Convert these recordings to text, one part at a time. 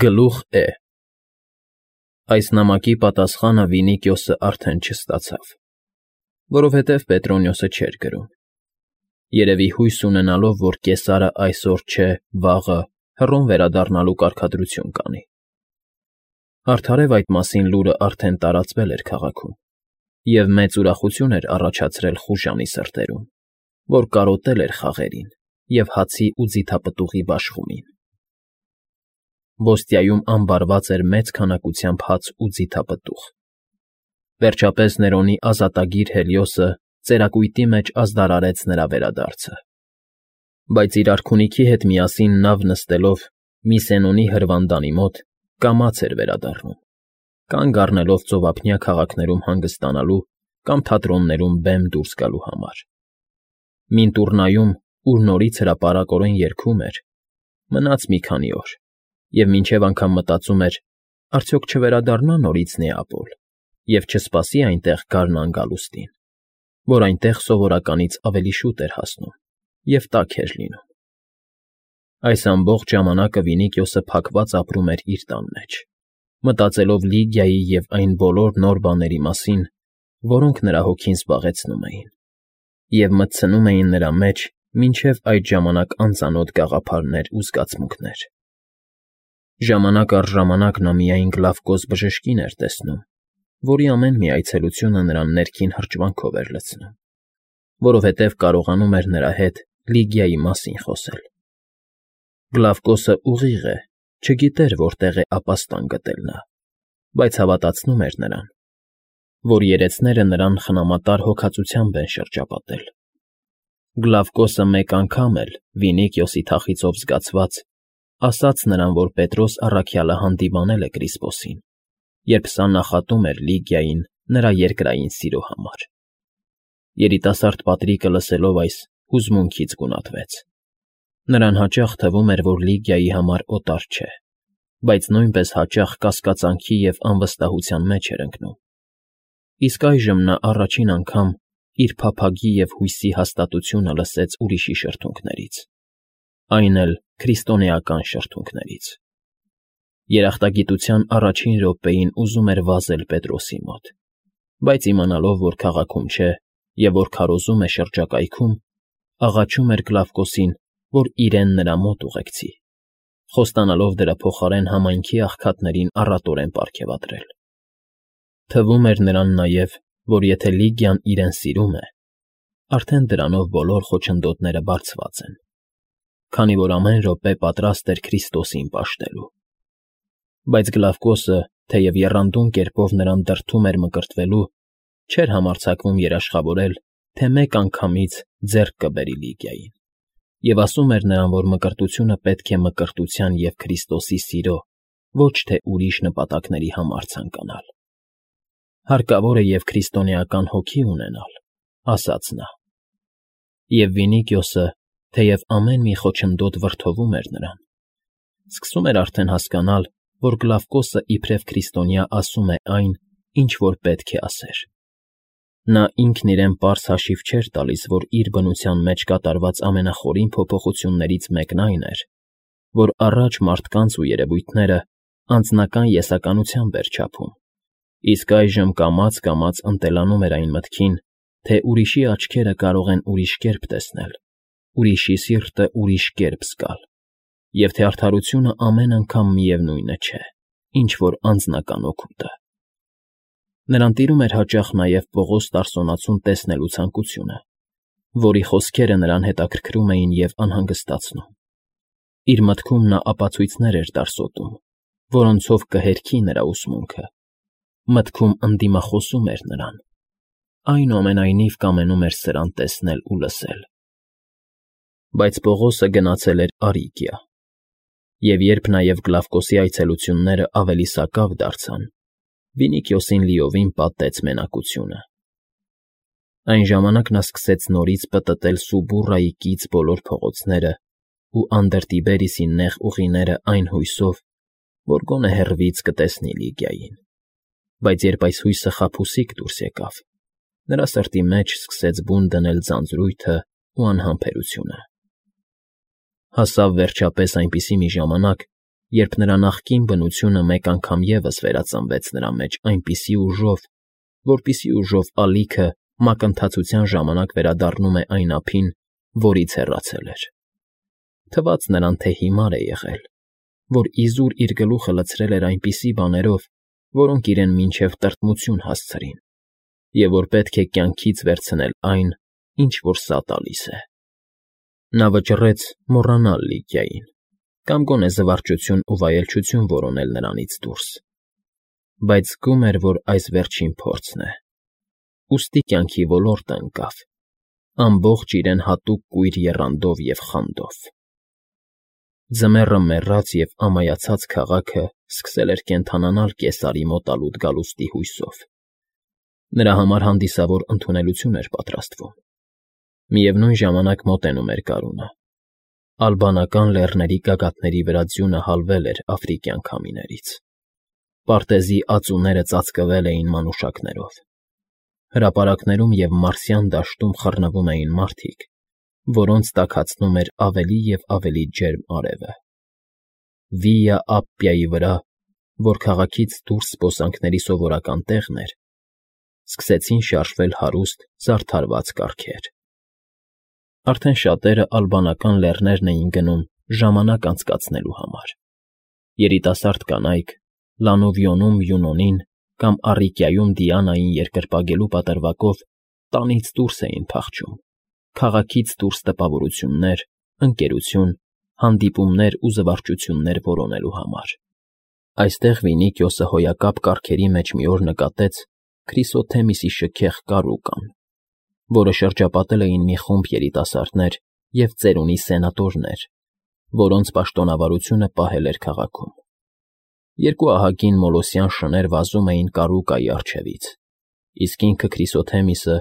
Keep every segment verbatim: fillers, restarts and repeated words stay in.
Գլուխ Է Այս նամակի պատասխանը Վինիկիոսը արդեն չստացավ, որովհետև Պետրոնիոսը չէր գրում, երևի հույս ունենալով, որ կեսարը այսօր չէ, վաղը Հռոմ վերադառնալու կարգադրություն կանի։ Արդարև այդ մասին լուրը արդեն տարածվել էր քաղաքում, և մեծ ուրախություն էր առաջացրել խուժանի սրտերում, որ կարոտել էր խաղերին և հացի ու ձիթապտուղի բաշխումին։ Ոստիայում ամբարված էր մեծ քանակությամբ հաց ու ձիթապտուղ։ Վերջապես Ներոնի ազատագիր Հելիոսը ծերակույտի մեջ ազդարարեց նրա վերադարձը։ Բայց իր արքունիքի հետ միասին նավ նստելով Միսենոնի հրվանդանի մոտ կամաց էր վերադառնում, կանգ առնելով ծովափնյա քաղաքներում հանգստանալու կամ թատրոններում բեմ դուրս գալու համար։ Մինտուրնայում, ուր նորից հրապարակորեն երգում էր, մնաց մի քանի օր, և մինչև անգամ մտածում էր. արդյոք չվերադառնա նորից Նեապոլ և չսպասի այնտեղ գարնան գալուստին, որ այնտեղ սովորականից ավելի շուտ էր հասնում և տաք էր լինում։ Այս ամբողջ ժամանակը Վինիկիոսը փակված ապրում էր իր տան մեջ, մտածելով Լիգիայի և այն բոլոր նոր բաների մասին, որոնք նրա հոգին զբաղեցնում էին, և մտցնում էին նրա մեջ մինչև այդ ժամանակ անծանոթ գաղափարներ ու զգացմունքներ։ Ժամանակ առ ժամանակ նա միայն Գլավկոս բժշկին էր տեսնում, որի ամեն մի այցելությունը նրան ներքին հրճվանքով էր լցնում, որովհետև կարողանում էր նրա հետ Լիգիայի մասին խոսել։ Գլավկոսը ուղիղ է, չգիտեր որտեղ է ապաստան գտել նա, բայց հավատացնում էր նրան, որ երեցները նրան խնամատար հոգածությամբ են շրջապատել։ Գլավկոսը մեկ անգամ էլ, Վինիկիոսի թախիծով զգացված, ասաց նրան, որ Պետրոս առաքյալը հանդիմանել է Կրիսպոսին, երբ սա նախատում էր Լիգիային նրա երկրային սիրո համար։ Երիտասարդ Պատրիկը լսելով այս, հուզմունքից գունատվեց։ Նրան հաճախ թվում էր, որ Լիգիայի համար օտար չէ, բայց նույնպես հաճախ կասկածանքի և անվստահության մեջ էր ընկնում։ Իսկ այժմ նա առաջին անգամ իր փափագի և հույսի հաստատությունը լսեց ուրիշի շրթունքներից, այն էլ քրիստոնեական շրթունքներից։ Երախտագիտության առաջին րոպեին ուզում էր վազել Պետրոսի մոտ, բայց իմանալով, որ քաղաքում չէ և որ քարոզում է շրջակայքում, աղաչում էր Գլավկոսին, որ իրեն նրա մոտ ուղեկցի, խոստանալով դրա փոխարեն համայնքի աղքատներին առատորեն պարգևատրել։ Թվում էր նրան նաև, որ եթե Լիգիան իրեն սիրում է, արդեն դրանով բոլոր խոչընդոտները բարձված են, քանի որ ամեն րոպե պատրաստ էր Քրիստոսին պաշտելու։ Բայց Գլավկոսը, թեև եռանդուն կերպով նրան դրդում էր մկրտվելու, չէր համարձակվում երաշխավորել, թե մեկ անգամից ձեռք կբերի Լիգիային, և ասում էր նրան, որ մկրտությունը պետք է մկրտության և Քրիստոսի սիրո, ոչ թե ուրիշ նպատակների համար ցանկանալ։ Հարկավոր է և քրիստոնեական հոգի ունենալ, ասաց նա։ Եվ Վինիկիոսը, թեև ամեն մի խոչընդոտ վրդովում էր նրան, սկսում էր արդեն հասկանալ, որ Գլավկոսը իբրև քրիստոնյա ասում է այն, ինչ որ պետք է ասեր։ Նա ինքն իրեն պարզ հաշիվ չէր տալիս, որ իր բնության մեջ կատարված ամենախորին փոփոխություններից մեկն այն էր, որ առաջ մարդկանց ու երևույթները անձնական եսականությամբ էր չափում, իսկ այժմ կամաց֊կամաց ընտելանում էր այն մտքին, թե ուրիշի աչքերը կարող են ուրիշ կերպ տեսնել, ուրիշի սիրտը ուրիշ կերպ զգալ, և թե արդարությունը ամեն անգամ միևնույնը չէ, ինչ որ անձնական օգուտը։ Նրան տիրում էր հաճախ նաև Պողոս Տարսոնացուն տեսնելու ցանկությունը, որի խոսքերը նրան հետաքրքրում էին և անհանգստացնում։ Իր մտքում նա ապացույցներ էր դարսոտում, որոնցով կհերքի նրա ուսմունքը, մտքում ընդդիմախոսում էր նրան, այնուամենայնիվ կամենում էր սրան տեսնել ու լսել։ Բայց Պողոսը գնացել էր Արիգիա, և երբ նաև Գլավկոսի այցելությունները ավելի սակավ դարձան, Վինիկիոսին լիովին պատեց մենակությունը։ Այն ժամանակ նա սկսեց նորից պտտել Սուբուռայի կից բոլոր փողոցներն ու Անդրտիբերիսի նեղ ուղիները այն հույսով, որ գոնե հեռվից կտեսնի Լիգիային, բայց երբ այս հույսը խաբուսիկ դուրս եկավ, նրա սրտի մեջ սկսեց բուն դնել ձանձրույթն ու անհամբերությունը։ Հասավ վերջապես այնպիսի մի ժամանակ, երբ նրա նախկին բնությունը մեկ անգամ ևս վերածնվեց նրա մեջ այնպիսի ուժով, որպիսի ուժով ալիքը մակընթացության ժամանակ վերադառնում է այն ափին, որից հեռացել էր. թվաց նրան, թե հիմար է եղել, որ իզուր իր գլուխը լցրել էր այնպիսի բաներով, որոնք իրեն մինչև տրտմություն հասցրին, և որ պետք է կյանքից վերցնել այն, ինչ որ սա տալիս է։ Նա վճռեց մոռանալ Լիգիային կամ գոնե զվարճություն ու վայելչություն որոնել նրանից դուրս, բայց զգում էր, որ այս վերջին փորձն է, ուստի կյանքի ոլորտը ընկավ, ամբողջ իրեն հատուկ կույր եռանդով և խանդով։ Ձմեռը մեռած և ամայացած քաղաքը սկսել էր կենդանանալ կեսարի մոտալուտ գալուստի հույսով։ Նրա համար հանդիսավոր ընդունելություն էր պատրաստվում։ Միևնույն ժամանակ մոտենում էր գարունը։ Ալբանական լեռների գագաթների վրա ձյունը հալվել էր աֆրիկյան քամիներից։ Պարտեզի ածուները ծածկվել էին մանուշակներով։ Հրապարակներում և Մարսյան դաշտում խռնվում էին մարդիկ, որոնց տաքացնում էր ավելի և ավելի ջերմ արևը։ Վիա Ապպիայի վրա, որ քաղաքից դուրս զբոսանքների սովորական տեղն էր, սկսեցին շարժվել հարուստ, զարդարված կառքեր։ Արդեն շատերը ալբանական լեռներն էին գնում ժամանակ անցկացնելու համար։ Երիտասարդ կանայք Լանովիոնում Յունոնին կամ Առիկիայում Դիանային երկրպագելու պատրվակով տանից դուրս էին փախչում, քաղաքից դուրս տպավորություններ, ընկերություն, հանդիպումներ ու զվարճություններ որոնելու համար։ Այստեղ Վինիքիոսը հոյակապ կառքերի մեջ մի օր նկատեց Քրիսոթեմիսի շքեղ կարուկան, որը շրջապատել էին մի խումբ երիտասարդներ և ծերունի սենատորներ, որոնց պաշտոնավարությունը պահել էր քաղաքում։ Երկու ահագին մոլոսյան շներ վազում էին կարուկայի առջևից, իսկ ինքը Քրիսոթեմիսը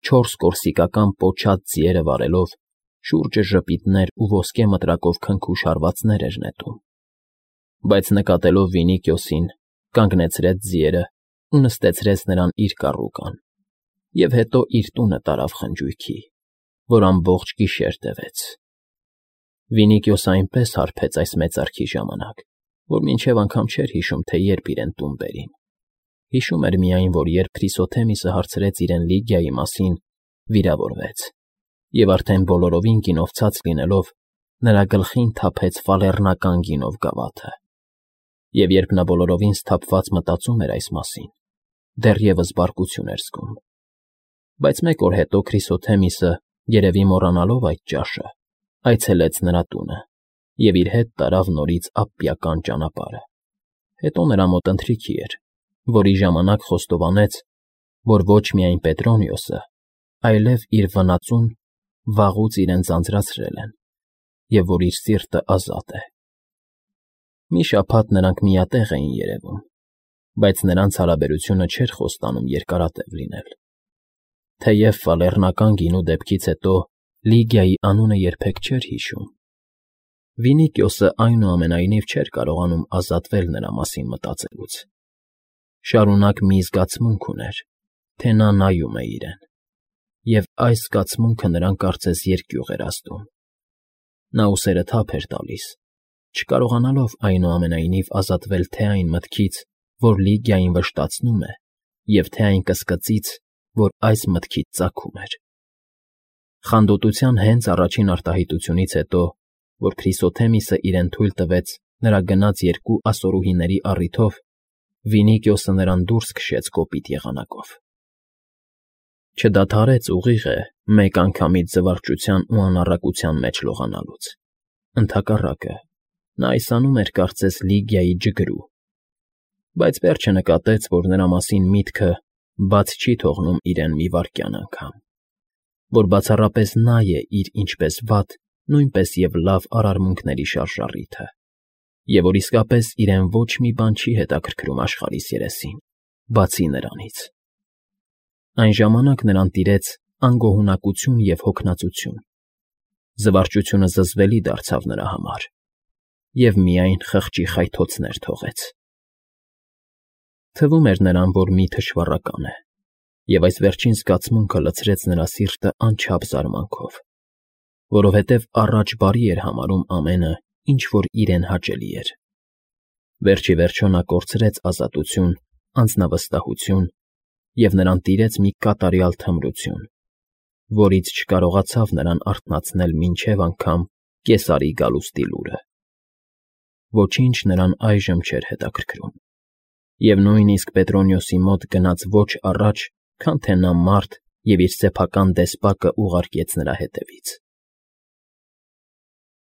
չորս կորսիկական պոչած ձիերը վարելով շուրջը ժպիտներ ու ոսկե մտրակով քնքուշ հարվածներ էր նետում։ Բայց նկատելով Վինիքիոսին, կանգնեցրեց ձիերը ու նստեցրեց նրան իր կառուկան, և հետո իր տունը տարավ խնջույքի, որ ամբողջ գիշեր տևեց։ Վինիքիոսը այնպես հարբեց այս մեծարքի ժամանակ, որ մինչև անգամ չէր հիշում, թե երբ իրեն տուն բերին։ Հիշում էր միայն, որ երբ Քրիսոթեմիսը հարցրեց իրեն Լիգիայի մասին, վիրավորվեց, և արդեն բոլորովին գինովցած լինելով, նրա գլխին թափեց ֆալեռնական գինով գավաթը։ Եվ երբ նա բոլորովին սթափված մտածում էր այս մասին, դեռևս բարկություն էր զգում։ Բայց մեկ օր հետո Քրիսոթեմիսը, երևի մոռանալով այդ ճաշը, այցելեց նրա տունը և իր հետ տարավ նորից Ապպիական ճանապարհը։ Հետո նրա մոտ ընթրիքի էր, որի ժամանակ խոստովանեց, որ ոչ միայն Պետրոնիոսը, այլև իր վնածուն վաղուց իրեն ձանձրացրել են, և որ իր սիրտը ազատ է։ Մի շաբաթ նրանք միատեղ էին երևում, բայց նրանց հարաբերությունը չէր խոստանում երկարատև լինել։ Թեև ֆալեռնական գինու դեպքից հետո Լիգիայի անունը երբեք չէր հիշում, Վինիքիոսը այնուամենայնիվ չէր կարողանում ազատվել նրա մասին մտածելուց։ Շարունակ մի զգացմունք ուներ, թե նա նայում է իրեն, և այս զգացմունքը նրան կարծես երկյուղ էր ազդում։ Նա ուսերը թափ էր տալիս, չկարողանալով այնուամենայնիվ ազատվել թե այն մտքից, որ Լիգիային վշտացնում է, և թե այն կսկծից, որ այս մտքից ծագում էր։ Խանդոտության հենց առաջին արտահայտությունից հետո, որ Քրիսոթեմիսը իրեն թույլ տվեց նրա գնած երկու ասորուհիների առիթով, Վինիքիոսը նրան դուրս քշեց կոպիտ եղանակով։ Չդադարեց ուղիղ է մեկ անգամից զվարճության ու անառակության մեջ լողանալուց։ Ընդհակառակը, նա այս անում էր կարծես Լիգիայի ջգրու, բայց վերջը նկատեց, որ նրա մասին միտքը բաց չի թողնում իրեն մի վայրկյան անգամ, որ բացառապես նա է իր ինչպես վատ, նույնպես և լավ արարմունքների շարժառիթը, և որ իսկապես իրեն ոչ մի բան չի հետաքրքրում աշխարհիս երեսին, բացի նրանից։ Այն ժամանակ նրան տիրեց անգոհունակություն և հոգնածություն, զվարճությունը զզվելի դարձավ նրա համար, և միայն խղճի խայթոցներ թողեց։ Թվում էր նրան, որ մի թշվառական է, և այս վերջին զգացմունքը լցրեց նրա սիրտը անչափ զարմանքով, որովհետև առաջ բարի էր համարում ամենը, ինչ որ իրեն հաճելի էր, Վերջ ի վերջո նա կորցրեց ազատություն, անձնավստահություն և նրան տիրեց մի կատարյալ թմրություն, որից չկարողացավ նրան արթնացնել մինչև անգամ կեսարի գալուստի լուրը։ Ոչինչ նրան այժմ չէր հետաքրքրում, և նույնիսկ Պետրոնիոսի մոտ գնաց ոչ առաջ, քան թե նա մարդ և իր սեփական դեսպակը ուղարկեց նրա հետևից։